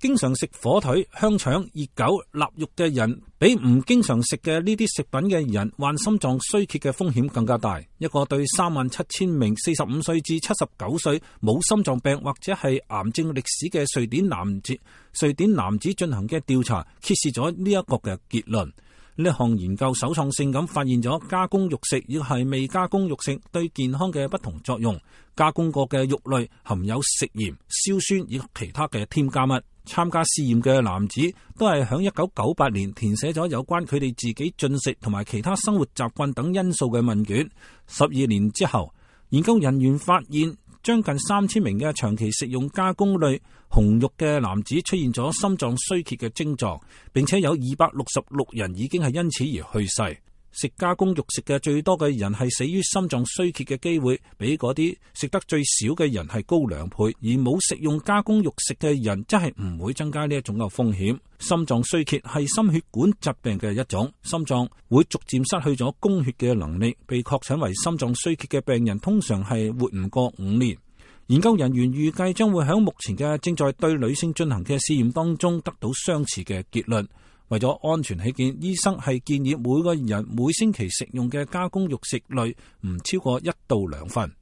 經常食火腿、香腸、熱狗、臘肉嘅人，比唔經常食嘅呢啲食品嘅人患心臟衰竭嘅風險更加大。一個對37000名45歲至79歲冇心臟病或者係癌症歷史嘅瑞典男子進行嘅調查，揭示咗呢一個嘅結論。呢項研究首創性咁發現咗加工肉食亦係未加工肉食對健康嘅不同作用。加工過嘅肉類含有食鹽、硝酸以及其他嘅添加物。參加試驗嘅男子都係響1998年填寫咗有關佢哋自己進食同埋其他生活習慣等因素嘅問卷。12年之後，研究人員發現將近3000名嘅長期食用加工類紅肉嘅男子出現咗心臟衰竭嘅症狀，並且有266人已經係因此而去世。食加工肉食嘅最多嘅人係死於心臟衰竭嘅機會，比嗰啲食得最少嘅人係高2倍，而冇食用加工肉食嘅人真係唔會增加呢一種嘅風險。心臟衰竭係心血管疾病嘅一種，心臟會逐漸失去咗供血嘅能力，被確診為心臟衰竭嘅病人通常係活唔過5年。研究人員預計將會喺目前嘅正在對女性進行嘅試驗當中得到相似嘅結論。為咗安全起見，醫生係建議每個人每星期食用嘅加工肉食類唔超過1到2份。